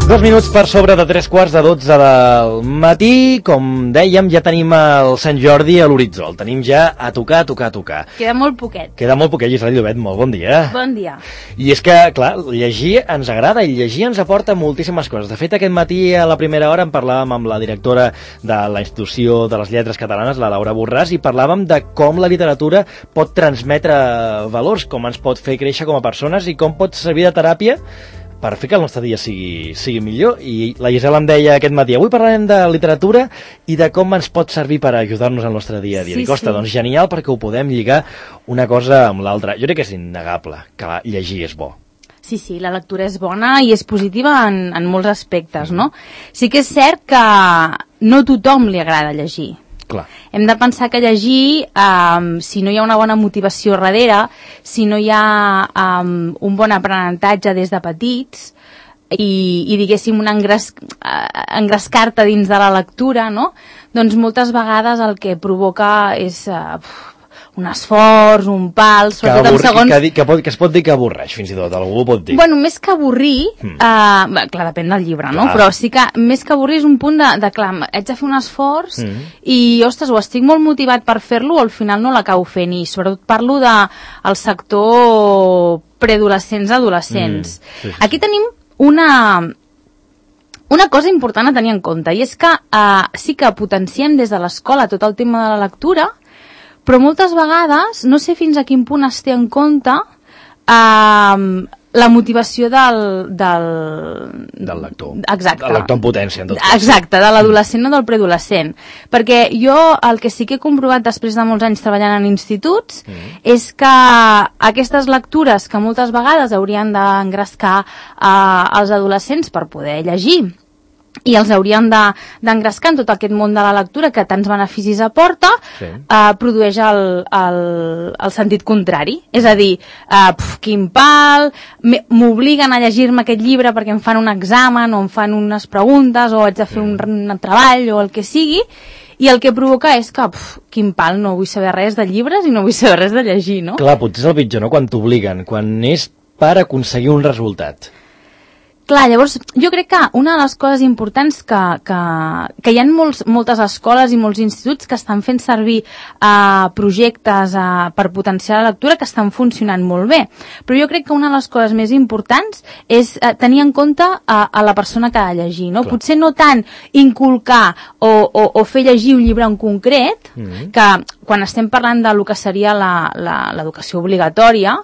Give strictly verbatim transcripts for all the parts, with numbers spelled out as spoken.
Dos minuts per sobre de tres quarts de dotze del matí. Com dèiem, ja tenim el Sant Jordi a l'horitzó. El tenim ja a tocar, a tocar, a tocar. Queda molt poquet. Queda molt poquet, Gisela Llobet, molt bon dia. Bon dia. I és que, clar, llegir ens agrada i llegir ens aporta moltíssimes coses. De fet, aquest matí a la primera hora en parlàvem amb la directora de la Institució de les Lletres Catalanes, la Laura Borràs, i parlàvem de com la literatura pot transmetre valors, com ens pot fer créixer com a persones i com pot servir de teràpia per fer que el nostre dia sigui, sigui millor. I la Gisela em deia aquest matí, avui parlarem de literatura i de com ens pot servir per ajudar-nos al nostre dia a dia. Sí, Dic, ostres, sí. doncs genial, perquè ho podem lligar una cosa amb l'altra. Jo crec que és innegable que llegir és bo. Sí, sí, la lectura és bona i és positiva en, en molts aspectes, no? Sí que és cert que no a tothom li agrada llegir. Clar. Hem de pensar que llegir, um, si no hi ha una bona motivació darrere, si no hi ha um, un bon aprenentatge des de petits i, i diguéssim, un engres, uh, engrescar-te dins de la lectura, no? Doncs moltes vegades el que provoca és uh, un esforç, un pal, sobretot en segons... Que, que, pot, que es pot dir que avorreix, fins i tot, algú ho pot dir. Bueno, més que avorrir, mm. uh, clar, depèn del llibre, no? Clar. Però sí que més que avorrir és un punt de, de clar, haig de fer un esforç mm. i, ostres, o estic molt motivat per fer-lo o al final no l'acabo fent, i sobretot parlo de el sector preadolescents, adolescents. Mm. Sí, sí. Aquí tenim una... Una cosa important a tenir en compte, i és que uh, sí que potenciem des de l'escola tot el tema de la lectura, però moltes vegades no sé fins a quin punt es té en compte eh, la motivació del... Del, del lector. Exacte. Del lector en potència, en tot cas. Exacte, de l'adolescent o del preadolescent. Perquè jo el que sí que he comprovat després de molts anys treballant en instituts mm. és que aquestes lectures que moltes vegades haurien d'engrescar eh, els adolescents per poder llegir i els haurien d'engrescar en tot aquest món de la lectura que tants beneficis aporta, sí. eh, produeix el, el, el sentit contrari. És a dir, eh, pf, quin pal, m'obliguen a llegir-me aquest llibre perquè em fan un examen o em fan unes preguntes o haig de fer un, un treball o el que sigui, i el que provoca és que, pf, quin pal, no vull saber res de llibres i no vull saber res de llegir, no? Clar, potser és el pitjor, no?, quan t'obliguen, quan és per aconseguir un resultat. Clar, llavors, jo crec que una de les coses importants que, que, que hi ha molts, moltes escoles i molts instituts que estan fent servir uh, projectes uh, per potenciar la lectura que estan funcionant molt bé. Però jo crec que una de les coses més importants és uh, tenir en compte uh, a la persona que ha de llegir, no? Potser no tant inculcar o, o, o fer llegir un llibre en concret, mm-hmm. que quan estem parlant de lo que seria l'educació obligatòria,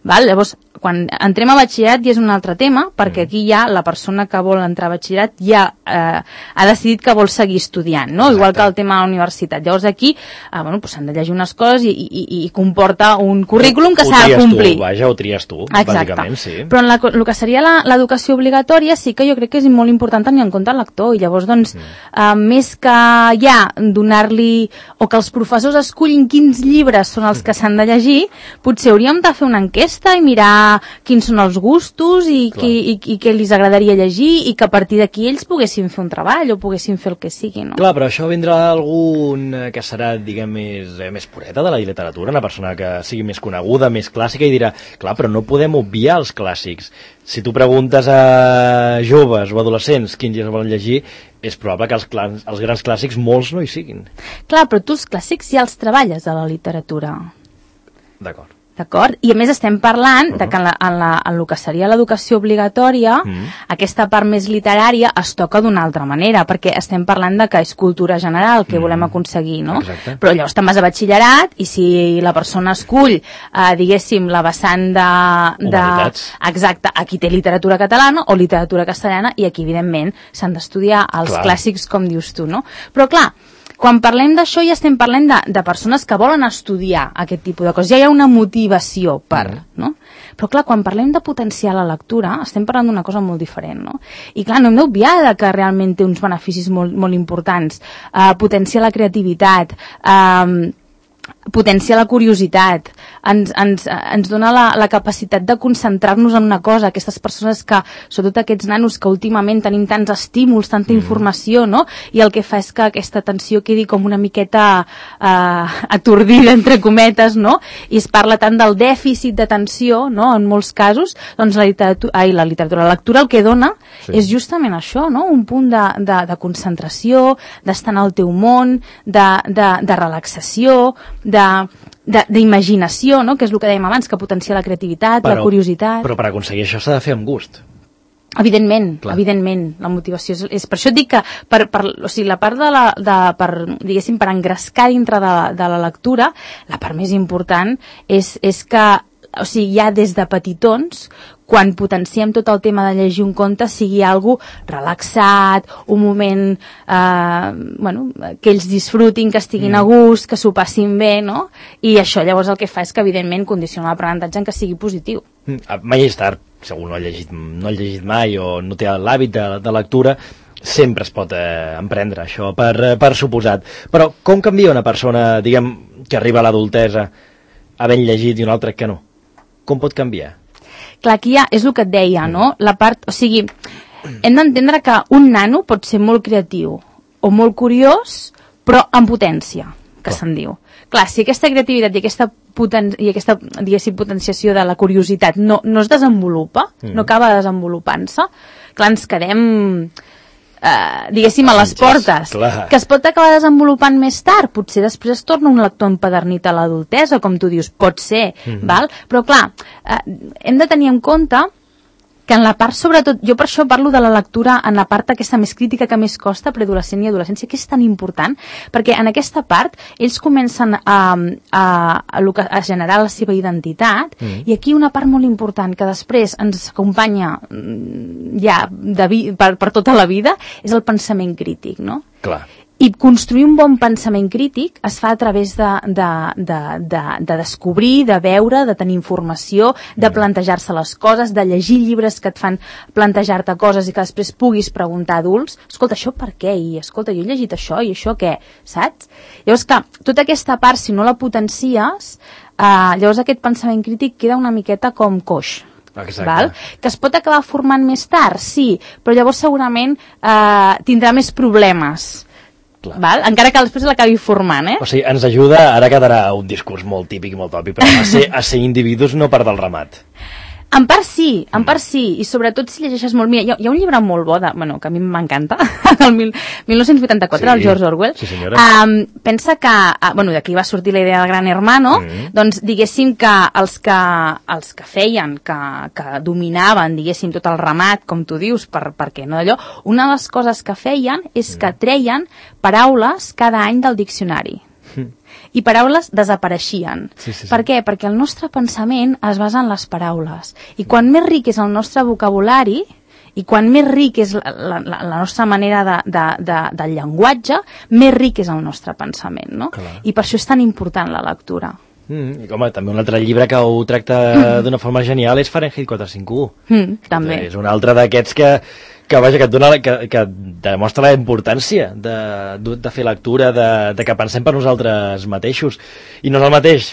val? Llavors, quan entrem a batxillerat ja és un altre tema, perquè aquí ja la persona que vol entrar a batxillerat ja eh, ha decidit que vol seguir estudiant, no? Igual que el tema de la universitat. Llavors aquí eh, bueno, pues s'han de llegir unes coses i, i, i comporta un currículum que s'ha de complir. Tu, vaja, ho tries tu, exacte. Bàsicament, sí. Però en la, el que seria l'educació obligatòria sí que jo crec que és molt important tenir en compte el lector, i llavors doncs mm. eh, més que ja donar-li o que els professors escullin quins llibres són els que s'han de llegir, potser hauríem de fer una enquesta i mirar quins són els gustos i, qui, i, i què els agradaria llegir, i que a partir d'aquí ells poguessin fer un treball o poguessin fer el que sigui, no? Clar, però això vindrà algun que serà, diguem, més, eh, més pureta de la literatura, una persona que sigui més coneguda, més clàssica, i dirà, clar, però no podem obviar els clàssics. Si tu preguntes a joves o adolescents quins llibres volen llegir, és probable que els, clans, els grans clàssics molts no hi siguin. Clar, però tu els clàssics ja els treballes a la literatura. D'acord. D'acord? I a més estem parlant uh-huh. de que en, la, en, la, en el que seria l'educació obligatòria, uh-huh. aquesta part més literària es toca d'una altra manera, perquè estem parlant de que és cultura general que uh-huh. volem aconseguir, no? Exacte. Però llavors te'n vas a batxillerat i si la persona escull, eh, diguéssim, la vessant de, de... Exacte, aquí té literatura catalana o literatura castellana, i aquí, evidentment, s'han d'estudiar els clar. Clàssics, com dius tu, no? Però, clar, quan parlem d'això ja estem parlant de, de persones que volen estudiar aquest tipus de coses. Ja hi ha una motivació per, no? Però clar, quan parlem de potenciar la lectura, estem parlant d'una cosa molt diferent, no? I clar, no hem d'obviar que realment té uns beneficis molt, molt importants. Uh, potenciar la creativitat, uh, potencia la curiositat, ens, ens, ens dona la, la capacitat de concentrar-nos en una cosa. Aquestes persones que, sobretot aquests nanos que últimament tenim tants estímuls, tanta mm. informació, no? I el que fa és que aquesta atenció quedi com una miqueta eh, atordida, entre cometes, no? I es parla tant del dèficit d'atenció, no? En molts casos, doncs la literatura, ai, la literatura, la lectura el que dona sí. és justament això, no? Un punt de, de, de concentració, d'estar en el teu món, de, de, de relaxació, d'imaginació, no? Que és el que dèiem abans, que potencia la creativitat, però, la curiositat. Però per aconseguir això s'ha de fer amb gust. Evidentment, Clar. evidentment, la motivació és, és... Per això et dic que, per, per, o sigui, la part de la... De, per, diguéssim, per engrescar dintre de, de la lectura, la part més important és, és que, o sigui, ja des de petitons, quan potenciem tot el tema de llegir un conte, sigui algo relaxat, un moment eh, bueno, que ells disfrutin, que estiguin mm. a gust, que s'ho passin bé, no? I això llavors el que fa és que, evidentment, condiciona l'aprenentatge en que sigui positiu. Mm. Mai és tard, segur no ha llegit, no ha llegit mai o no té l'hàbit de, de lectura, sempre es pot eh, emprendre això, per, per suposat. Però com canvia una persona, diguem, que arriba a l'adultesa havent llegit i una altra que no? Com pot canviar? Clar, aquí ja és el que et deia, no? La part, o sigui, hem d'entendre que un nano pot ser molt creatiu o molt curiós, però amb potència, que oh. se'n diu. Clar, si aquesta creativitat i aquesta, poten i aquesta diguéssim, potenciació de la curiositat no, no es desenvolupa, mm. no acaba desenvolupant-se, clar, ens quedem... Uh, diguéssim, a les portes, clar. Que es pot acabar desenvolupant més tard, potser després es torna un lector empedernit a l'adultesa, com tu dius, pot ser, mm-hmm. val? Però clar, uh, hem de tenir en compte que en la part, sobretot, jo per això parlo de la lectura en la part aquesta més crítica que més costa, preadolescent i adolescència, que és tan important, perquè en aquesta part ells comencen a, a, a, a generar la seva identitat, mm. i aquí una part molt important que després ens acompanya ja de vi, per, per tota la vida, és el pensament crític, no? Clar. I construir un bon pensament crític es fa a través de, de, de, de, de descobrir, de veure, de tenir informació, de plantejar-se les coses, de llegir llibres que et fan plantejar-te coses i que després puguis preguntar a adults, escolta, això per què? I escolta, jo he llegit això i això què? Saps? Llavors que tota aquesta part, si no la potencies, eh, llavors aquest pensament crític queda una miqueta com coix. Exacte. Val? Que es pot acabar formant més tard, sí, però llavors segurament eh, tindrà més problemes. Val? Encara que després l'acabi formant, eh? O sigui, ens ajuda, ara quedarà un discurs molt típic i molt tòpic, però a ser, a ser individus no per del ramat. En part sí, en part sí, i sobretot si llegeixes molt... Mira, hi ha, hi ha un llibre molt bo, de, bueno, que a mi m'encanta, del mil, mil nou-cents vuitanta-quatre, sí, del George Orwell. Sí, senyora. Um, pensa que, uh, bueno, d'aquí va sortir la idea del Gran Hermano, mm. doncs diguéssim que els que, els que feien, que, que dominaven, diguéssim, tot el ramat, com tu dius, per, perquè no d'allò, una de les coses que feien és que treien paraules cada any del diccionari. I paraules desapareixien. Sí, sí, sí. Per què? Perquè el nostre pensament es basa en les paraules. I quan més ric és el nostre vocabulari, i quan més ric és la, la, la nostra manera de, de, de, del llenguatge, més ric és el nostre pensament, no? Clar. I per això és tan important la lectura. Mm, i home, també un altre llibre que ho tracta mm. d'una forma genial és Fahrenheit quatre cents cinquanta-u. Mm, també. És un altre d'aquests que, que, vaja, que, et dona, que, que demostra la importància de, de fer lectura, de, de que pensem per nosaltres mateixos. I no és el mateix,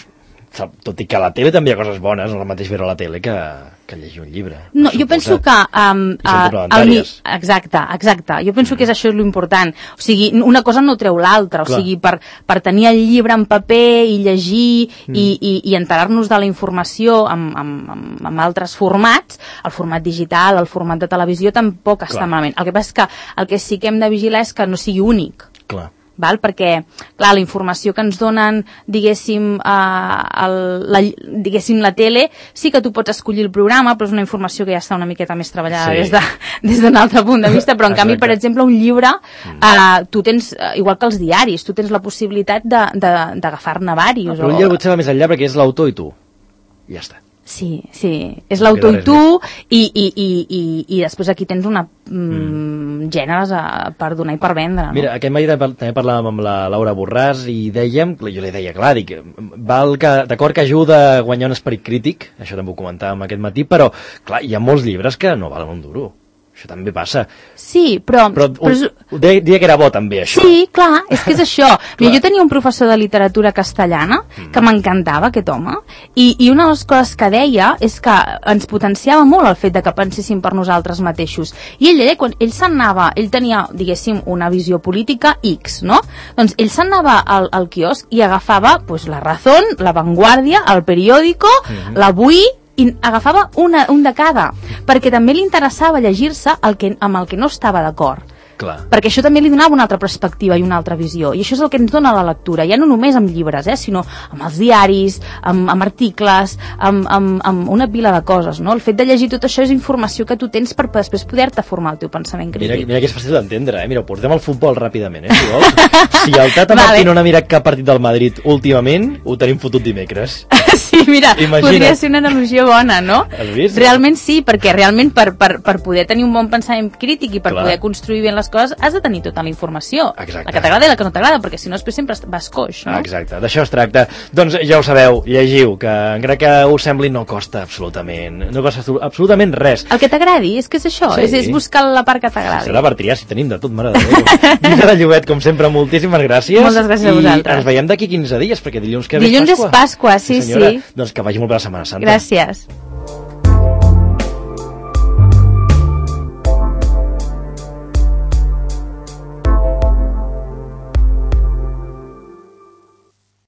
tot i que a la tele també hi ha coses bones, no és el mateix veure a la tele que, que llegir un llibre. No, jo penso que... Um, uh, el, exacte, exacte. Jo penso mm. que és això l'important. O sigui, una cosa no treu l'altra. O Clar. sigui, per, per tenir el llibre en paper i llegir mm. i, i, i enterar-nos de la informació amb, amb, amb, amb altres formats, el format digital, el format de televisió, tampoc Clar. està malament. El que passa és que el que sí que hem de vigilar és que no sigui únic. Clar. Val? Perquè, clar, la informació que ens donen, diguéssim, eh, el, la, diguéssim, la tele, sí que tu pots escollir el programa, però és una informació que ja està una miqueta més treballada sí. des de, des d'un altre punt de vista, però en canvi, per exemple, un llibre, eh, tu tens, igual que els diaris, tu tens la possibilitat d'agafar-ne diversos. Però un llibre potser va més enllà perquè és l'autor i tu. I ja està. Sí, sí, és l'autor i tu, i, i, i, i, i després aquí tens una mm, gèneres a, per donar i per vendre. No? Mira, aquest matí també parlàvem amb la Laura Borràs i dèiem, jo li deia, clar, dic, val que, d'acord que ajuda a guanyar un esperit crític, això també ho comentàvem aquest matí, però, clar, hi ha molts llibres que no valen un duro. Això també passa. Sí, però... Però, però ho deia que era bo també, això. Sí, clar, és que és això. Mira, jo tenia un professor de literatura castellana que mm. m'encantava, aquest home, i, i una de les coses que deia és que ens potenciava molt el fet de que penséssim per nosaltres mateixos. I ell deia, quan ell se'n anava, ell tenia, diguéssim, una visió política X, no? Doncs ell se'n anava al, al quiosc i agafava pues, La Razón, La Vanguardia, El Periódico, mm-hmm. l'Avui, i agafava una, un de cada, perquè també li interessava llegir-se el que, amb el que no estava d'acord. Clar. Perquè això també li donava una altra perspectiva i una altra visió, i això és el que ens dona la lectura, ja no només amb llibres, eh, sinó amb els diaris, amb, amb articles, amb, amb, amb una pila de coses, no? El fet de llegir tot això és informació que tu tens per després poder-te formar el teu pensament crític. Mira, mira que és fàcil d'entendre, eh? Mira, ho portem al futbol ràpidament, eh, si vols. Si el Tata vale. Martí no ha mirat cap partit del Madrid últimament, ho tenim fotut dimecres. Sí, mira, Imagina't. Podria ser una analogia bona, no? Has vist? Realment sí, perquè realment per, per, per poder tenir un bon pensament crític i per Clar. Poder construir bé les coses has de tenir tota la informació. Exacte. La que t'agrada i la que no t'agrada, perquè si no després sempre vas coix, no? Exacte, d'això es tracta. Doncs ja ho sabeu, llegiu, que encara que us sembli no costa absolutament, no costa absolutament res. El que t'agradi, és que és això, Sí. és, és buscar la part que t'agradi. Serà per triar, si tenim de tot, mare de Déu. Guilla de Llobet, com sempre, moltíssimes gràcies. Moltes gràcies a vosaltres. I ens veiem d'aquí quinze dies, perquè dilluns que ve Dilluns és és Pasqua, sí, sí. Senyora, sí. doncs que vagi molt bé la Setmana Santa. Gràcies.